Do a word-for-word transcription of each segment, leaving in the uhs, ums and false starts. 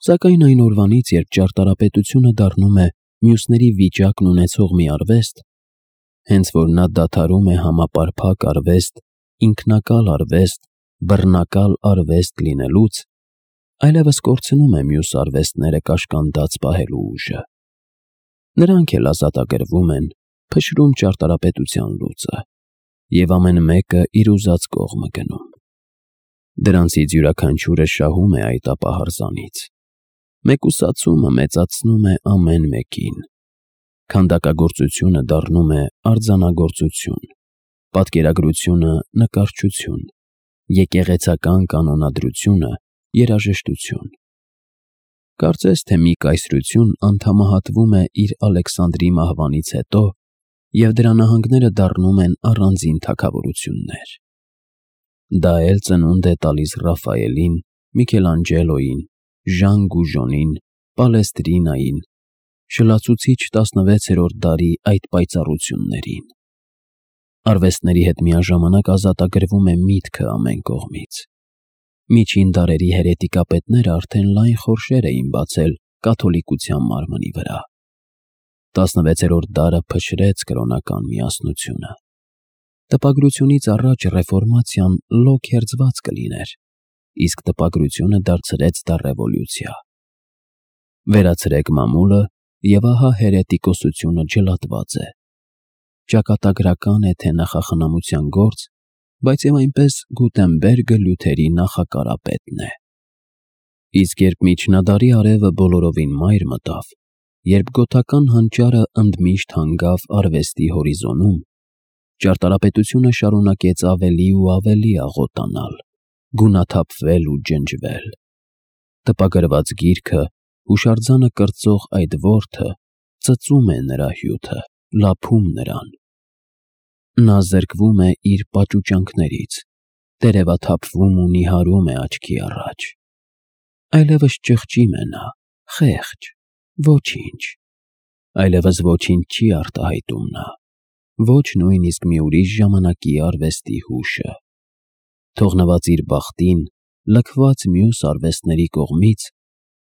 Սակայն այն օրվանից, երբ ճարտարապետությունը դառնում է մյուսների վիճակն ունեցող մի արվեստ, հենց որ նա դադարում է համապարփակ արվեստ, ինքնակալ արվեստ, բռնակալ արվեստ լինելուց, այլևս կորցնում է մյուս արվեստները կաշկանդած պահելու ուժը։ Նրանք էլ ազատագրվում են, փշրում ճարտարապետության լուծը, և ամեն մեկը իր ուզած կողմը գնում։ Դրանցից յուրաքանչյուրը շահում է այդ ապահարզանից։ Մեկուսացումը մեծացնում է ամեն մեկին։ Քանդակագործությունը դառնում է արձանագործություն, պատկերագրությունը նկարչություն, եկեղեցական կանոնադրությունը երաժշտություն։ Կարծես թե մի կայսրություն անդամահատվում է իր Ալեքսանդրի մահվանից հետո, և դրա նահանգները դառնում են առանձին թագավորություններ։ Դա էլ ծնունդ է տալիս Ռաֆայելին, Միքելանջելոյին, Ժան Գուժոնին, Պալեստրինային, շլացուցիչ տասնվեցերորդ դարի այդ պայծառություններին։ Արվեստների հետ միաժամանակ ազատագրվում է միտքը ամեն կողմից։ Միջին դարերի հերետիկապետները արդեն լայն խորշեր էին բացել կաթոլիկության մարմնի վրա։ տասնվեցերորդ դարը փշրեց կրոնական միասնությունը։ Տպագրությունից առաջ ռեֆորմացիան լոկ հերձված կլիներ, իսկ տպագրությունը դարձրեց դա ռևոլյուցիա։ Վերացրեք մամուլը, և ահա հերետիկոսությունը ջլատված է։ Ճակատագրական է, թե նախախնամության գործ, բայց և այնպես Գուտենբերգը Լյութերի նախակարապետն է։ Իսկ երբ միջնադարի արևը բոլորովին մայր մտավ, երբ գոթական հանճարը ընդմիշտ հանգավ արվեստի հորիզոնում, ճարտարապետությունը շարունակեց ավելի ու ավելի աղոտանալ, գունաթափվել ու ջնջվել։ Տպագրված գիրքը, հուշարձանը կրծող այդ որդը, ծծում է նրա հյութը, լափում նրան։ Նա զրկվում է իր պաճուճանքներից, տերևաթափվում ու նիհարում է աչքի առաջ։ Այլևս ճղճիմ է նա, խեղճ, ոչինչ։ Այլևս ոչինչ չի արտահայտում նա, ոչ նույնիսկ մի ուրիշ ժամանակի արվեստի հուշը։ Թողնված իր բախտին, լքված մյուս արվեստների կողմից,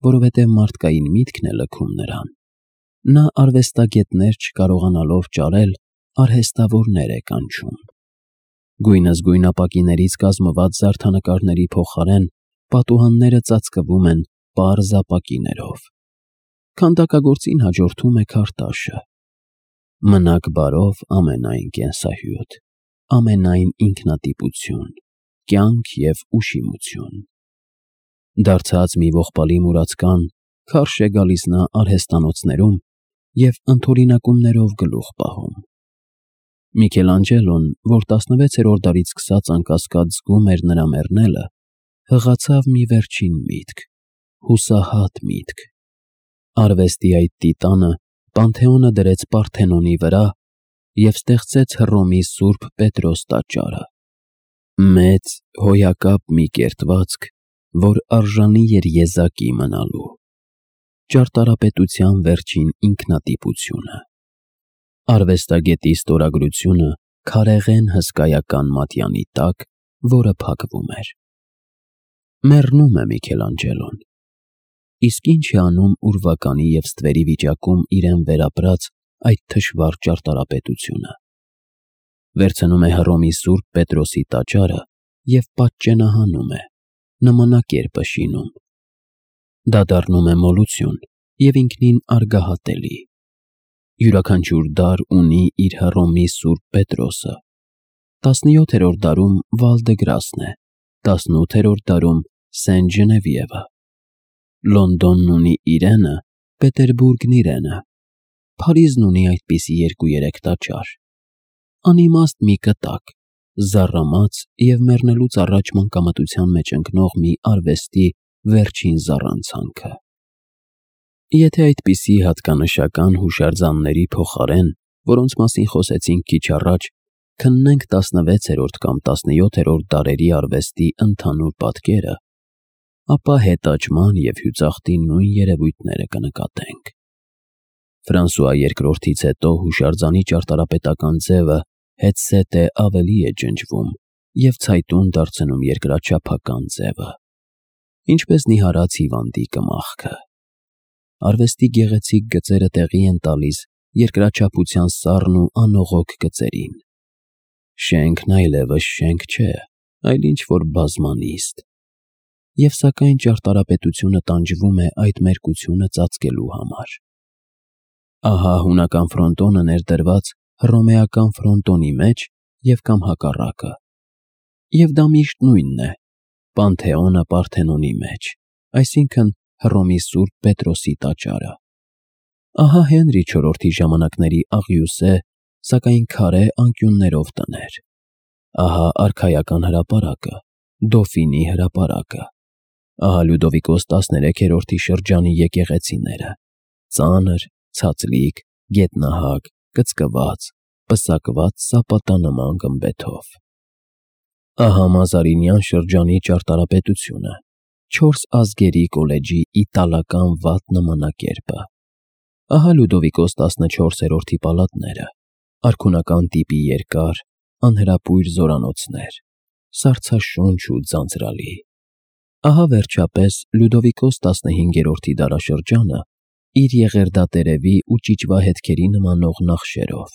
որովհետև մարդկային միտքն է լքում նրան, նա արվեստագետներ չկարողանալով ճարել, արհեստավորներ է կանչում։ Գույնզգույն ապակիներից կազմված զարդանկարների փոխարեն պատուհանները ծածկվում են պարզ ապակիներով։ Քանդակագործին հաջորդում է քարտաշը։ Մնաք բարով ամենայն կենսահյութ, ամենայն ինքնատիպություն, կյանք և ուշիմություն։ Դարձած մի ողբալի մուրացկան, քարշ է գալիս նա արհեստանոցներում և ընդօրինակումներով գլուխ պահում։ Միքելանջելոն, որ տասնվեցերորդ դարից սկսած անկասկած զգում էր նրա մեռնելը, հղացավ մի վերջին միտք, հուսահատ միտք։ Արվեստի այդ տիտանը Պանթեոնը դրեց Պարթենոնի վրա և ստեղծեց Հռոմի Սուրբ Պետրոս տաճարը։ Մեծ, հոյակապ մի կերտվածք, որ արժանի էր եզակի մնալու։ Ճարտարապետության վերջին ինքնատիպությունը։ Արվեստագետի ստորագրությունը քարեղեն հսկայական մատյանի տակ, որը փակվում էր։ Մեռնում է Միքելանջելոն։ Իսկ ինչ է անում ուրվականի և ստվերի վիճակում իրեն վերապրած այդ թշվառ ճարտարապետությունը։ Վերցնում է Հռոմի Սուրբ Պետրոսի տաճարը և պատճենահանում է, նմանակերպը շինում։ Դա դառնում է մոլություն և ինքնին արգահատելի։ Յուրաքանչյուր դար ունի իր Հռոմի Սուրբ Պետրոսը։ Տասնյոթերորդ դարում Վալ-դե-Գրասն է, տասնութերորդ դարում Սեն Ժնևիևը։ Լոնդոնն ունի իրենը, Պետերբուրգն իրենը։ Փարիզն ունի այդպիսի երկու֊երեք տաճար։ Անիմաստ մի կտակ, զառամած և մեռնելուց առաջ մանկամտության մեջ ընկնող մի արվեստի վերջին զառանցանքը։ Եթե այդպիսի հատկանշական հուշարձանների փոխարեն, որոնց մասին խոսեցինք քիչ առաջ, քննենք տասնվեցերորդ կամ տասնյոթերորդ դարերի արվեստի ընդհանուր պատկերը, ապա հետաճման և հյուծախտի նույն երևույթները կնկատենք։ Ֆրանսուଆ երկրորդից հետո հուշարձանի ճարտարապետական ձևը հետզհետե ավելի է ջնջվում և ցայտուն դարձնում երկրաչափական ձևը։ ինչպես նիհարած հիվանդի կմախքը։ Արվեստի գեղեցիկ գծերը տեղի են տալիս երկրաչափության սառն ու անողոք գծերին։ Շենքն այլևս շենք չէ, այլ ինչ-որ բազմանիստ։ Եվ սակայն ճարտարապետությունը տանջվում է այդ մերկությունը ծածկելու համար։ Ահա հունական ֆրոնտոնը ներդրված հռոմեական ֆրոնտոնի մեջ և կամ հակառակը։ Եվ դա միշտ նույնն է, Պանթեոնը Պարթենոնի մեջ, այսինքն Հռոմի Սուրբ Պետրոսի տաճարը։ Ահա Հենրի չորրորդի ժամանակների աղյուսե, սակայն քարե անկյուններով տներ։ Ահա արքայական հրապարակը, Դոֆինի հրապարակը։ Ահա Լյուդովիկոս տասներեքերորդի շրջանի եկեղեցիները՝ ծանր, ցածլիկ, գետնահակ, կծկված, պսակված սապատանման գմբեթով։ Ահա Մազարինյան շրջանի ճարտարապետությունը, չորս ազգերի կոլեջի իտալական վատ նմանակերպը։ Ահա Լյուդովիկոս տասնչորսերորդի պալատները, արքունական տիպի երկար, անհրապույր զորանոցներ, սառցաշունչ ու ձանձրալի։ Ահա վերջապես Լյուդովիկոս տասնհինգերորդի դարաշրջանը իր եղերդատերևի ու ճիճվա հետքերի նմանող նախշերով,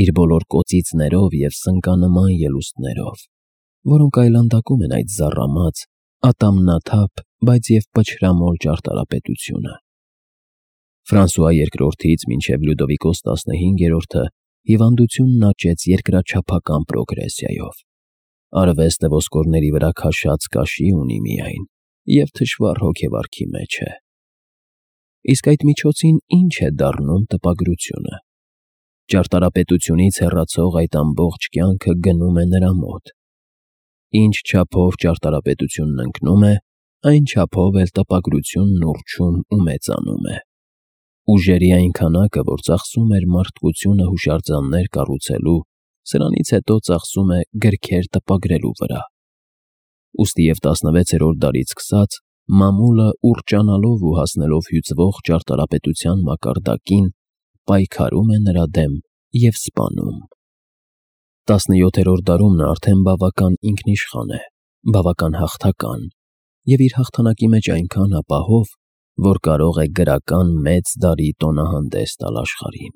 իր բոլոր կոծիծներով և սնկանման ելուստներով, որոնք այլանդակում են այդ զառամած, ատամնաթափ, բայց և պչրամոլ ճարտարապետությունը։ Ֆրանսուଆ երկրորդից մինչև Լյուդովիկոս տասնհինգերորդը հիվանդությունն աճեց երկրաչափական պրոգրեսիայով։ Արվեստը ոսկորների վրա քաշած կաշի ունի միայն և թշվառ հոգեվարքի մեջ է։ Իսկ այդ միջոցին ի՞նչ է դառնում տպագրությունը։ Ճարտարապետությունից հեռացող այդ ամբողջ կյանքը գնում է նրա մոտ։ Ինչ չափով ճարտարապետությունն ընկնում է, այն չափով էլ տպագրությունն ուռչում ու մեծանում է։ Ուժերի այն քանակը, որ ծախսում էր մարդկությունը հուշարձաններ կառուցելու, սրանից հետո ծախսում է գրքեր տպագրելու վրա։ Ուստի և տասնվեցերորդ դարից սկսած մամուլը ուռճանալով ու հասնելով հյուծվող ճարտարապետության մակարդակին, պայքարում է նրա դեմ և սպանում։ Տասնյոթերորդ դարում նա արդեն բավական ինքնիշխան է, բավական հաղթական և իր հաղթանակի մեջ այնքան ապահով, որ կարող է գրական մեծ դարի տոնահանդես տալ աշխարհին։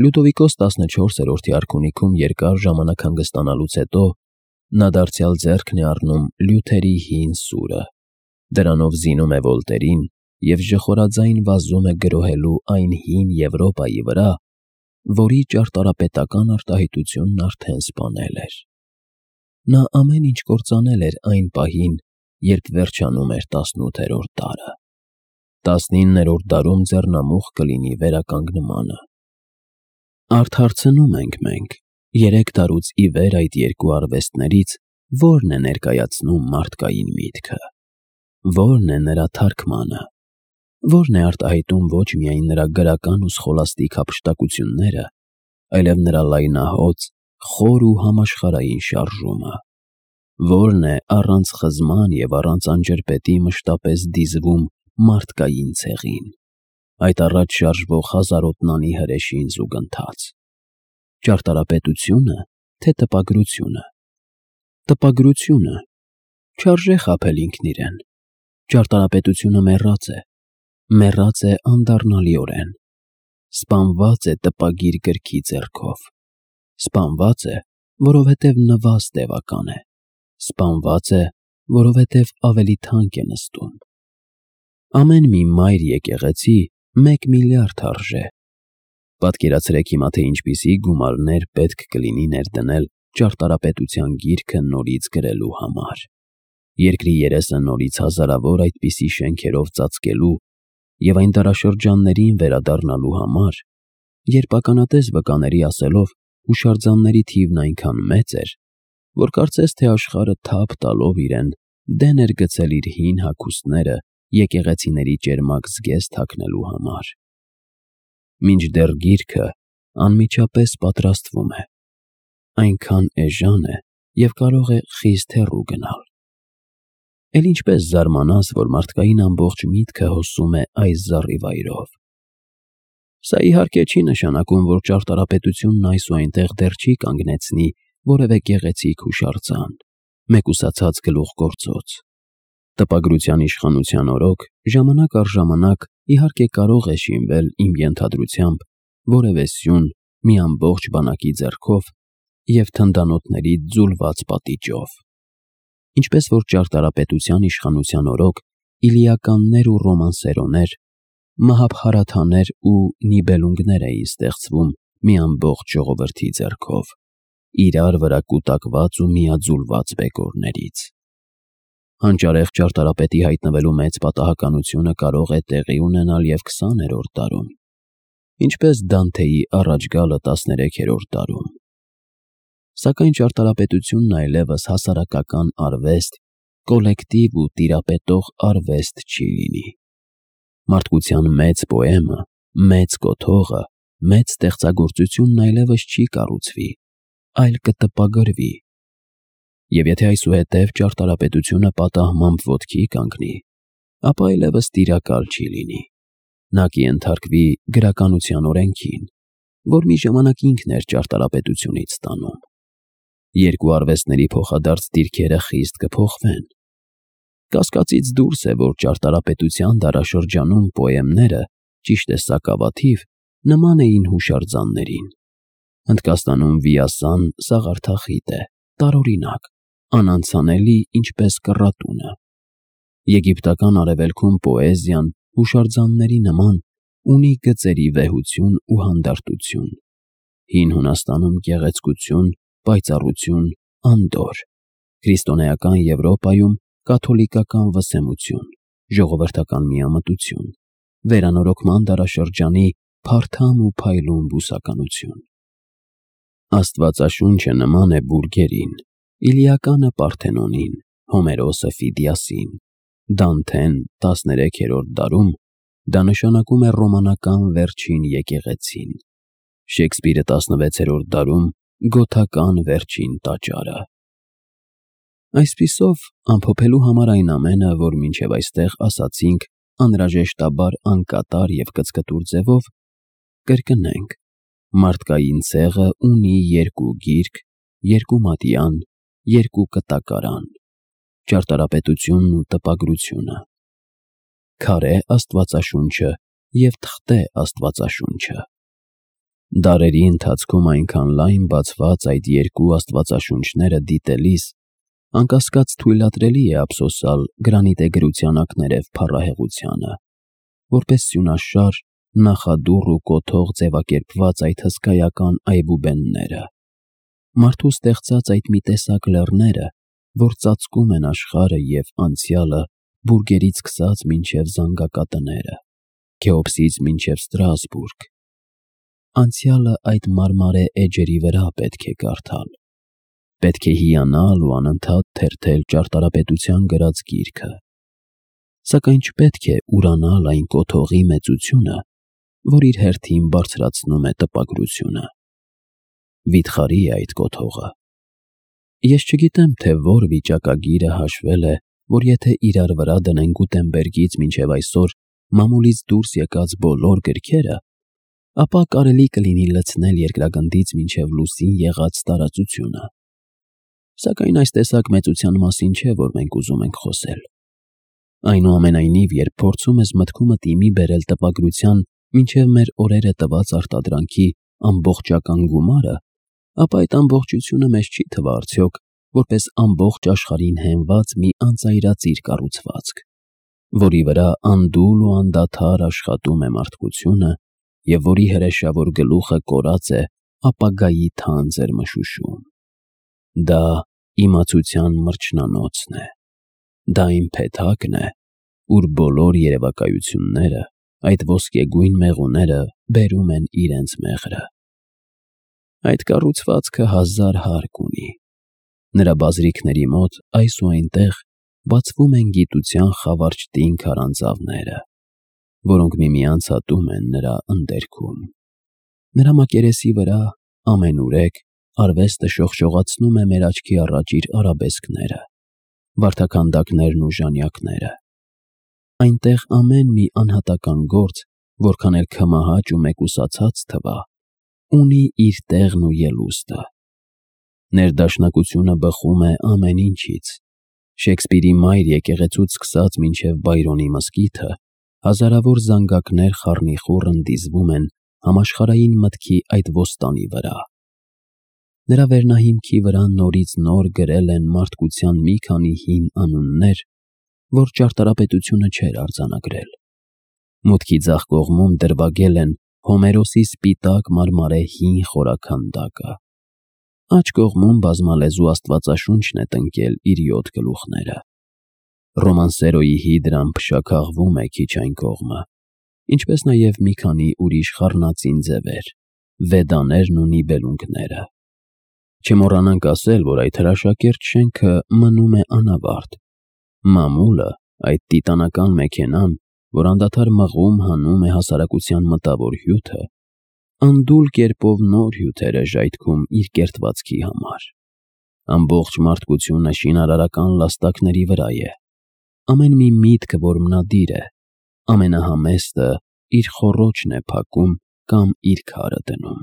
Լյուդովիկոս տասնչորսերորդի արքունիքում երկար ժամանակ հանգստանալուց հետո նա դարձյալ ձեռքն է առնում Լյութերի հին սուրը, դրանով զինում է Վոլտերին և ժխորաձայն վազում է գրոհելու այն հին Եվրոպայի վրա, որի ճարտարապետական արտահայտությունն արդեն սպանել էր։ Նա ամեն ինչ կործանել էր այն պահին, երբ վերջանում էր տասնութերորդ դարը։ Տասնիններորդ դարում ձեռնամուխ կլինի վերականգնմանը։ Արդարցնում ենք մենք երեք դարուց ի վեր այդ երկու արվեստներից ո՞րն է ներկայացնում մարդկային միտքը, ո՞րն է նրա թարգմանը, ո՞րն է արտահայտում ոչ միայն նրա գրական ու սխոլաստիկ հափշտակությունները, այլև նրա լայնահոծ, խոր ու համաշխարհային շարժումը, ո՞րն է առանց խզման և առանց անջրպետի մշտապես դիզվում մարդկային ցեղին, այդ առաջ շարժվող հազարոտնանի հրեշին զուգընթաց։ Ճարտարապետությո՞ւնը, թե տպագրությունը։ Տպագրությունը։ Չարժե խաբել ինքն իրեն։ Ճարտարապետությունը մեռած է, մեռած է անդառնալիորեն, սպանված է տպագիր գրքի ձեռքով, սպանված է, որովհետև նվազ տևական է, սպանված է, որովհետև ավելի թանկ է նստում։ Ամեն մի մայր եկեղեցի մեկ միլիարդ արժե։ Պատկերացրեք հիմա, թե ինչպիսի գումարներ պետք կլինի ներդնել ճարտարապետության գիրքը նորից գրելու համար, երկրի երեսը նորից հազարավոր այդպիսի շենքերով ծածկելու և այն դարաշրջաններին վերադառնալու համար, երբ ականատես վկաների ասելով հուշարձանների թիվն այնքան մեծ էր, որ կարծես թե աշխարհը թափ տալով իրեն դեն էր գցել իր հին հագուստները եկեղեցիների ճերմակ զգեստ թաքնելու համար։ Մինչդեռ գիրքը անմիջապես պատրաստվում է, այնքան էժան է և կարող է խիստ հեռու գնալ։ Էլ ինչպես զարմանաս, որ մարդկային ամբողջ միտքը հոսում է այս զառիվայրով։ Սա իհարկե չի նշանակում, որ ճարտարապետությունն այս ու այնտեղ դեռ չի կանգնեցնի որևէ գեղեցիկ հուշարձան, մեկուսացած գլուխգործոց։ Տպագրության իշխանության օրոք ժամանակ առ ժամանակ իհարկե կարող է շինվել իմ ենթադրությամբ որևէ սյուն մի ամբողջ բանակի ձեռքով և թնդանոթների ձուլված պատիճով։ Ինչպես որ ճարտարապետության իշխանության օրոք իլիականներ ու ռոմանսերոներ, մահաբհարաթաներ ու նիբելունգներ էին ստեղծվում մի ամբողջ ժողովրդի ձեռքով, իրար վրա կուտակված ու միաձուլված բեկորներից։ Հանճարեղ ճարտարապետի հայտնվելու մեծ պատահականությունը կարող է տեղի ունենալ և քսաներորդ դարում, ինչպես Դանթեի առաջ գալը տասներեքերորդ դարում։ Սակայն ճարտարապետությունն այլևս հասարակական արվեստ, կոլեկտիվ ու տիրապետող արվեստ չի լինի։ Մարդկության մեծ պոեմը, մեծ կոթողը, մեծ ստեղծագործությունն այլևս չի կառուցվի, այլ կտպագրվի։ Եվ եթե այսուհետև ճարտարապետությունը պատահմամբ ոտքի կանգնի, ապա այլևս տիրակալ չի լինի։ Նա կենթարկվի գրականության օրենքին, որ մի ժամանակ ինքն էր ճարտարապետությունից ստանում։ Երկու արվեստների փոխադարձ դիրքերը խիստ կփոխվեն։ Կասկածից դուրս է, որ ճարտարապետության դարաշրջանում պոեմները, ճիշտ է սակավաթիվ, նման էին հուշարձաններին։ Հնդկաստանում վիասան սաղարթախիտ է, տարօրինակ, անանցանելի, ինչպես կռատունը։ Եգիպտական արևելքում պոեզիան, հուշարձանների նման, ունի գծերի վեհություն ու հանդարտություն, հին Հունաստանում գեղեցկություն, պայծառություն, անդորր, քրիստոնեական Եվրոպայում կաթոլիկական վսեմություն, ժողովրդական միամտություն, վերանորոգման դարաշրջանի փարթամ ու փայլուն բուսականություն։ Աստվածաշունչը նման է բուրգերին, Իլիականը Պարթենոնին, Հոմերոսը Ֆիդիասին, Դանթեն տասներեքերորդ դարում դա նշանակում է ռոմանական վերջին եկեղեցին, Շեքսպիրը տասնվեցերորդ դարում գոթական վերջին տաճարը։ Այսպիսով, ամփոփելու համար այն ամենը, որ մինչև այստեղ ասացինք, անհրաժեշտաբար անկատար և կծկտուր ձևով, կրկնենք. մարդկային ցեղը ունի երկու գիրք, երկու մատյան, երկու կտակարան, ճարտարապետությունն ու տպագրությունը, քարե աստվածաշունչը և թղթե աստվածաշունչը։ Դարերի ընթացքում այնքան լայն բացված այդ երկու աստվածաշունչները դիտելիս, անկասկած թույլատրելի է ափսոսալ գրանիտե գրության ակներև փառահեղությանը, որպես սյունաշար, նախադուռ ու կոթող ձևակերպված այդ հսկայական այբուբենները, մարդու ստեղծած այդ մի տեսակ լեռները, որ ծածկում են աշխարհը և անցյալը բուրգերից սկսած մինչև զանգակատները, Քեոպսից մինչև Ստրասբուրգ։ Անցյալը այդ մարմարե էջերի վրա պետք է կարդալ, պետք է հիանալ ու անընդհատ թերթել ճարտարապետության գրած գիրքը, սակայն չպետք է ուրանալ այն կոթողի մեծությունը, որ իր հերթին բարձրացնում է տպագրությունը։ Վիթխարի է այդ կոթողը։ Ես չգիտեմ, թե որ վիճակագիրը հաշվել է, որ եթե իրար վրա դնեն Գուտենբերգից մինչև այսօր մամուլից դուրս եկած բոլոր գրքերը, ապա կարելի կլինի լցնել երկրագնդից մինչև լուսին եղած տարածությունը։ Սակայն այս տեսակ մեծության մասին չէ, որ մենք ուզում ենք խոսել։ Այնուամենայնիվ, երբ փորձում ես մտքումդ իմի բերել տպագրության մինչև մեր օրերը տված արտադրանքի ամբողջական գումարը, ապա այդ ամբողջությունը մեզ չի թվա արդյոք որպես ամբողջ աշխարհին հենված մի անծայրածիր կառուցվածք, որի վրա անդուլ ու անդադար աշխատում է մարդկությունը և որի հրեշավոր գլուխը կորած է ապագայի թանձր մշուշում։ Դա իմացության մրջնանոցն է, դա այն փեթակն է, ուր բոլոր երևակայությունները, այդ ոսկեգույն մեղուները բերում են իրենց մեղրը։ Այդ կառուցվածքը հազար հարկ ունի։ Նրա բազրիքների մոտ այս ու այնտեղ բացվում են գիտության խավարճտին քարանձավները, որոնք միմյանց հատում են նրա ընդերքում։ Նրա մակերեսի վրա ամենուրեք արվեստը շողշողացնում է մեր աչքի առաջ իր արաբեսկները, վարդաքանդակներն ու ժանյակները։ Այնտեղ ամեն մի անհատական գործ, որքան էլ քմահաճ ու մեկուսացած թվա, ունի իր տեղն ու ելուստը։ Ներդաշնակությունը բխում է ամեն ինչից, Շեքսպիրի մայր եկեղեցուց սկսած մինչև Բայրոնի մզկիթը հազարավոր զանգակներ խառնիխուռ ընդիզվում են համաշխարհային մտքի այդ ոստանի վրա։ Նրա վերնահիմքի վրա նորից նոր գրել են մարդկության մի քանի հին անուններ, որ ճարտարապետությունը չէր արձանագրել։ Մուտքի ձախ կողմում դրվագել են Հոմերոսի սպիտակ մարմարե հին խորաքանդակը։ Աջ կողմում բազմալեզու աստվածաշունչն է տնկել իր յոթ գլուխները։ Ռոմանսերոյի հիդրան փշաքաղվում է քիչ այն կողմը, ինչպես նաև մի քանի ուրիշ խառնածին ձևեր, վեդաներն ու նիբելունգները։ Չմոռանանք ասել, որ այդ հրաշակերտ շենքը մնում է անավարտ։ Մամուլը, այդ տիտանական մեքենան, որ անդադար մղում հանում է հասարակության մտավոր հյութը, անդուլ կերպով նոր հյութեր է ժայթքում իր կերտվածքի համար։ Ամբողջ մարդկությունը շինարարական լաստակների վրա է։ Ամեն մի միտք, որ մնադիր է, ամենահամեստը իր խոռոչն է փակում կամ իր քարը դնում։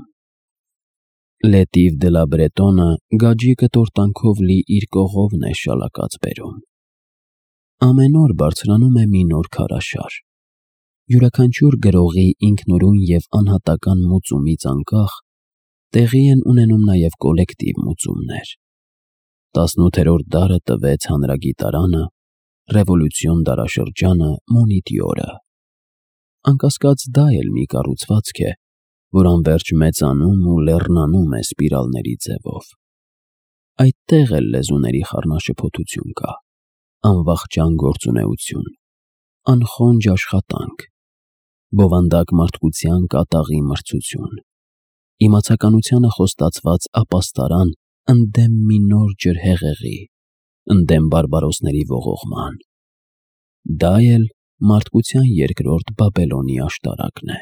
Լետիվ դե լա Բրետոնը գաջիկը տորտանքով լի իր կողովն է շալակած բերում։ Ամեն օր բարձրանում է մի նոր քարաշար։ Յուրաքանչյուր գրողի ինքնուրույն և անհատական մուծումից անկախ տեղի են ունենում նաև կոլեկտիվ մուծումներ։ Տասնութերորդ դարը տվեց հանրագիտարանը, ռևոլյուցիոն դարաշրջանը Մոնիտյորը։ Անկասկած դա էլ մի կառուցվածք է, որ անվերջ մեծանում ու լեռնանում է սպիրալների ձևով։ Այդտեղ էլ լեզուների խառնաշփոթություն կա, անվախճան գործունեություն, անխոնջ աշխատանք, բովանդակ մարդկության կատաղի մրցություն, իմացականությանը խոստացված ապաստարան ընդդեմ մի նոր ջրհեղեղի, ընդդեմ բարբարոսների ողողման։ Դա էլ մարդկության երկրորդ Բաբելոնի աշտարակն է։